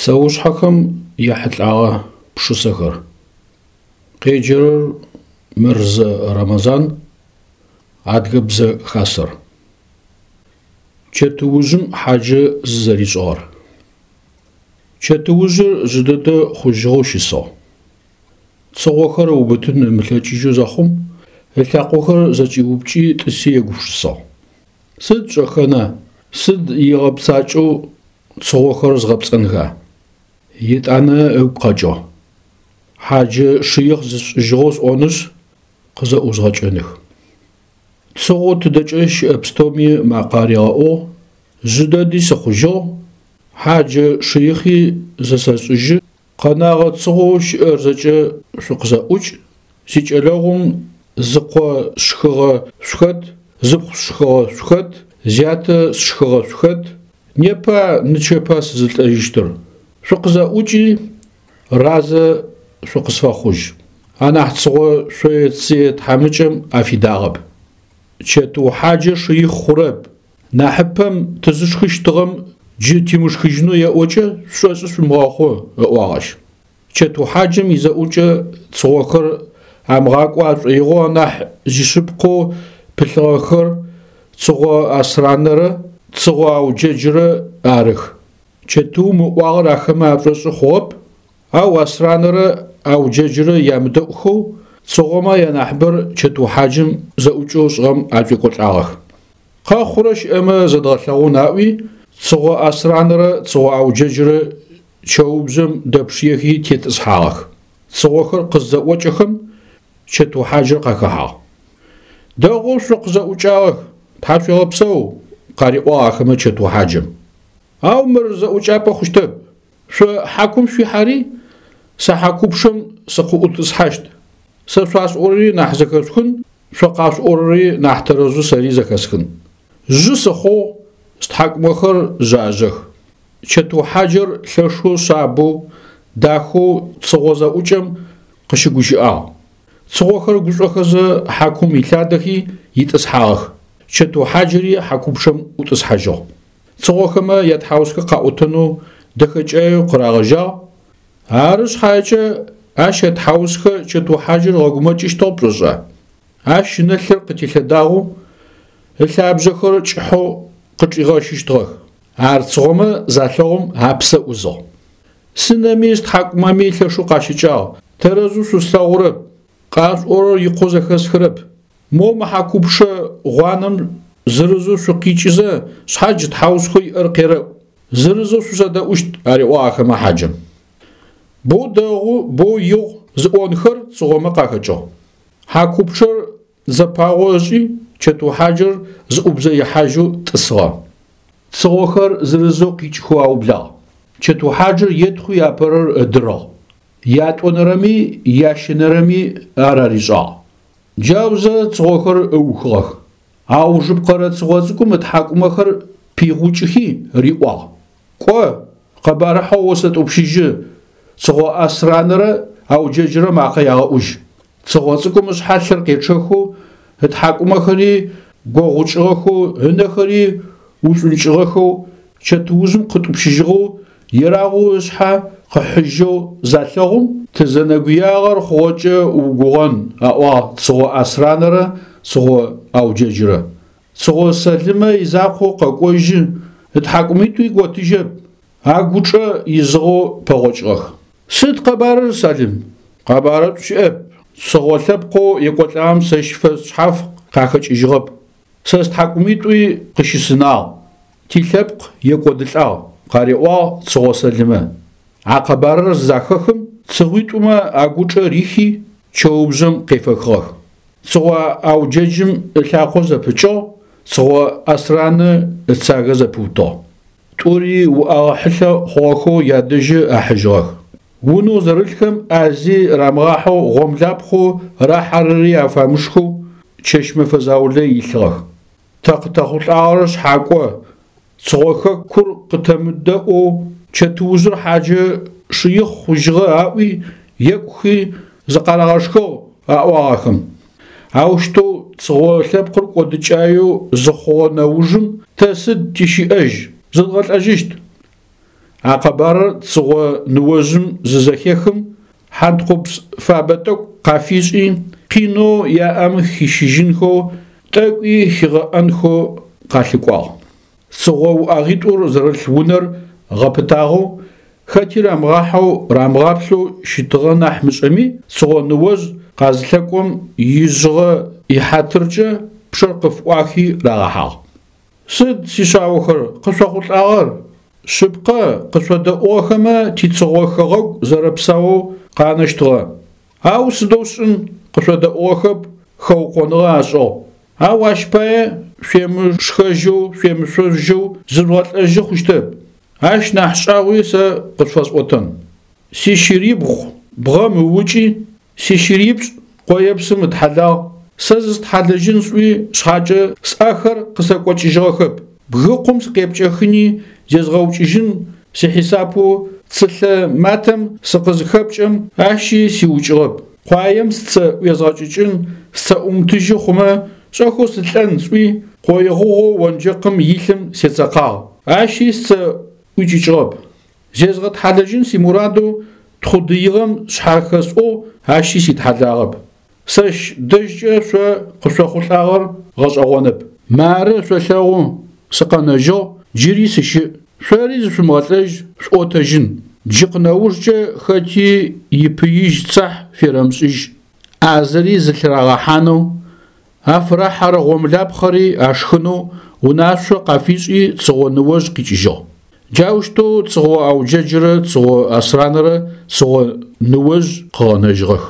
Псэушъхьэхэм яхьылӏагъэ пшысэхэр. Къеджэрэр Мырзэ Рэмэзан, Адыгэбзэ Хасэр. Чэтыужъым хьаджэ зызэришӏыгъэр. Чэтыужъыр жъы дэдэ хъужьыгъэу щысыгъ. Цыгъохэр ыубытын ымылъэкӏыжьэу зэхъум, ылъакъохэр зэкӏиупкӏи тӏыси егупшысагъ. Сыд сшӏэхэна, сыд игъэпцӏакӏэу цыгъохэр згъэпцӏэнха? Етӏанэ ыгу къэкӏыгъ. Хьаджэ шыихъ зысшӏыжьыгъэу сӏонышъ, къызэӏузгъэкӏэных. Цыгъо тыдэкӏэ щыӏэ пстэуми макъэ аригъэӏугъ, жъы дэди сыхъужьыгъ, хьаджэ шыихъи зысэшӏыжьы, къэнагъэ цыгъоу щыӏэр зэкӏэ шъукъызэӏукӏ, сикӏэлэгъум зыкъо сшхыгъэ шъухэт, зыпхъу сшхыгъэ шъухэт, зятэ сшхыгъэ шъухэт, непа нычэпа сызылӏэжьыщтыр? Шъукъызэӏукӏи, разэ шъукъысфэхъужь. Анахь цыгъо шъое-цые тхьамыкӏэм афидагъэп. Чэтыу хьаджэ шыихъ хъурэп. Нахьыпэм тызышхыщтыгъэм джы тимышхыжьынэу еӏокӏэ шъушӏошъы шъумыгъэхъу, ыӏуагъ ащ. Чэтыу хьаджэм изэӏукӏэ цыгъохэр амыгъакӏо ашӏоигъоу анахь зишъыпкъэу пылъыгъэхэр Цыгъо Асранэрэ Цыгъо Ауджэджрэ арых. Чэтыум ыӏуагъэр ахэмэ ашӏошъы хъугъэп, ау Асранэрэ Ауджэджрэ ямыдэӏухэу цыгъомэ янахьыбэр чэтыу хьаджэм зэӏукӏэу ышӏыгъэм ашӏуекӏолӏагъэх. Къэхъурэ щыӏэмэ зэдгъэлъэгъун аӏуи, Цыгъо Асранэрэ Цыгъо Ауджэджрэ чэубжъэм дэпшыехи тетӏысхьагъэх. Цыгъохэр къыззэӏокӏэхэм чэтыу хьаджэр къахэхьагъ. Дэгъоу шъукъызэӏукӏагъэх, тхьашъуегъэпсэу, къариӏуагъ ахэмэ чэтыу хьаджэм. Ау мыр зэӏукӏапӏэ хъущтэп. Шъо хьакум шъуихьэри, сэ хьакупчъэм сыкъыӏутӏысхьащт. Сэ шъуасӏорэри нахь зэхэшъухын, шъо къашъуӏорэри нахь тэрэзэу сэри зэхэсхын. Жъы сыхъугъ, стхьакӏумэхэр жъажъэх. Чэтыу хьаджэр лъэшэу шъабэу, дахэу цыгъо зэӏукӏэм къыщыгущыӏагъ. Цыгъохэр гушӏохэзэ хьакум илъадэхи итӏысхьагъэх. Чэтыу хьаджэри хьакупчъэм ӏутӏысхьажьыгъ. Цыгъохэмэ ятхьаусхэ къаӏотэнэу дэхэкӏаеу къырагъэжьагъ. Ары шъхьаекӏэ ащ ятхьаусхэ чэтыу хьаджэр ыгъэгумэкӏыщтыгъ пшӏошӏа? Ащ ынэ лъыр къытелъэдагъэу, ылъабжъэхэр кӏыхьэу къычӏигъэщыщтыгъэх. Ар цыгъомэ залъэгъум апсэ ӏузыгъ. Сынэми стхьакӏумэми лъэшэу къащыкӏагъ, тэрэзэу шъуслъэгъурэп, къашъуӏорэр икъоу зэхэсхырэп. Мо мы хьакупчъэ гъуанэм зырызэу шъукъикӏызэ, шъхьадж тхьаусхэу иӏэр къерэӏу. Зырызэу шъузэдэӏущт, ариӏуагъ ахэмэ хьаджэм. Боу дэгъу, боу игъу зыӏонхэр цыгъомэ къахэкӏыгъ. Хьакупчъэр зэпагъо ышӏи, чэтыу хьаджэр зыӏубзэ ихьажьэу тӏысыгъэ. Цыгъохэр зырызэу къикӏхэу аублагъ. Чэтыу хьаджэр етхъуи апэрэр ыдырыгъ. Ятӏонэрэми ящэнэрэми ар аришӏагъ. Джаузэ цыгъохэр ыухыгъэх. Аужыпкъэрэ цыгъо цӏыкӏум ытхьакӏумэхэр пигъукӏыхи, риӏуагъ, Кӏо, къэбарыхьэу осэтӏупщыжьы, Цыгъо Асранэрэ Ауджэджрэ макъэ ягъэӏужь. Цыгъо цӏыкӏум ышъхьэ лъыр къечъэхэу, ытхьакӏумэхэри гогъукӏыгъэхэу, ынэхэри ушӏункӏыгъэхэу, чэтыужъым къытӏупщыжьыгъэу, ерагъэу ышъхьэ къыхьыжьэу залъэгъум, тызэнэгуягъэр хъугъэкӏэ угугъэн, аӏуагъ Цыгъо Асранэрэ Цыгъо Ауджэджрэ. Цыгъо Сэлымэ изакъоу къэкӏожьы, ытхьакӏумитӏуи готыжьэп, агучӏэ изыгъэу пэгъокӏыгъэх. Сыд къэбарыр, Сэлым? Къэбарышӏу щыӏэп. Цыгъо лъэпкъэу екӏолӏагъэм сэщ фэшъхьаф къахэкӏыжьыгъэп. Сэ стхьакӏумитӏуи къыщысынагъ, тилъэпкъ екӏодылӏагъ, къариӏуагъ Цыгъо Сэлымэ. А къэбарыр зызахэхым, цыгъуитӏумэ агучӏэ рихи, чэубжъэм къефэхыгъэх. Цыгъо Ауджэджым ылъакъо зэпыкӏыгъ, Цыгъо Асраны ыцагэ зэпыутыгъ. Тӏури уӏэгъэ хьылъэ хъугъэхэу ядэжьы ахьыжьыгъэх. Унэу зэрылъхэм ӏази рамыгъахьэу гъомлапхъэу рахьэрэри афамышхэу чэщ-мэфэ заулэ илъыгъэх. Тэ къытэхъулӏагъэр шъхьакӏо, Цыгъо хэкур къытэмыдэӏоу чэтыужъыр хьаджэ шыихъ хъужьыгъэ аӏуи, екӏухи зыкъарагъэшхыгъ аӏуагъ ахэм. Аущтэу цыгъо лъэпкъыр кӏодыкӏаеу зыхъугъэ нэужым тэ сыд тищыӏэжь, зыдгъэлӏэжьыщт. А къэбарыр Цыгъо ныожъым зызэхехым, хьантхъупс фабэ тӏэкӏу къафишӏи, къинэу яӏэм хищыжьынхэу, тӏэкӏуи хигъэӏэнхэу къалъыкӏуагъ. Цыгъо уӏэгъитӏур зэрылъ унэр гъэпытагъэу, хэти рамыгъахьэу рамыгъаплъэу щытыгъэ нахь мышӏэми, Цыгъо ныожъ къазылъэкӏом ижъыгъэ ихьатыркӏэ пчъэр къыфыӏуахи рагъэхьагъ. Сыд, сишъаохэр, къышъохъулӏагъэр? Шъыпкъэ, къышъодэӏугъэхэмэ тицыгъо хэгъэгу зэрэпсаоу къанэщтыгъэ. Ау сыдэу сшӏын, къышъодэӏугъэхэп, хэукъоныгъэ ашӏыгъ. Ау ащ пае шъуемышхэжьэу, шъуемышъожьэу зыжъугъэлӏэжьы хъущтэп. Ащ нахь шӏагъуи сэ къышъуфэсӏотэн. Сищырибгъу бгъэм ыукӏи, сищырипшӏ къоепсым ытхьэлагъ, сэ зыстхьалэжьын сӏуи шъхьакӏэ сӏэхэр къысэкӏокӏыжьыгъэхэп. Бгыкъум сыкъепкӏэхыни зезгъэукӏыжьын сихьисапэу цылъэ матэм сыкъызыхэпкӏэм, ащи сиукӏыгъэп. Къуаем сцэ ӏуезгъэкӏыкӏын, сцэ ӏумытыжьы хъумэ, шӏэхэу сылӏэн сӏуи, къое гъугъэу онджэкъым илъым сецэкъагъ, ащи сцэ ӏуикӏыкӏыгъэп. Зезгъэтхьалэжьын симурадэу тхъу дыигъэм шъхьахэсӏугъ, ащи ситхьэлагъэп. Сэщ дэжькӏэ шъо къышъохъулӏагъэр гъэшӏэгъонэп. Мары шъолъэгъу, сыкъэнэжьыгъ, джыри сыщыӏ. Шъори зышъумыгъэлӏэжь, шъуӏотэжьын. Джы къынэужкӏэ хэти ипыижь цахь ферэмышӏыжь. ӏазэри зылъырагъэхьанэу, афырахьэрэ гъомылапхъэри ашхынэу унашъо къафишӏи Цыгъо ныожъ къикӏыжьыгъ. Джаущтэу Цыгъо Ауджэджрэ Цыгъо Асранэрэ Цыгъо ныожъ къыгъэнэжьыгъэх.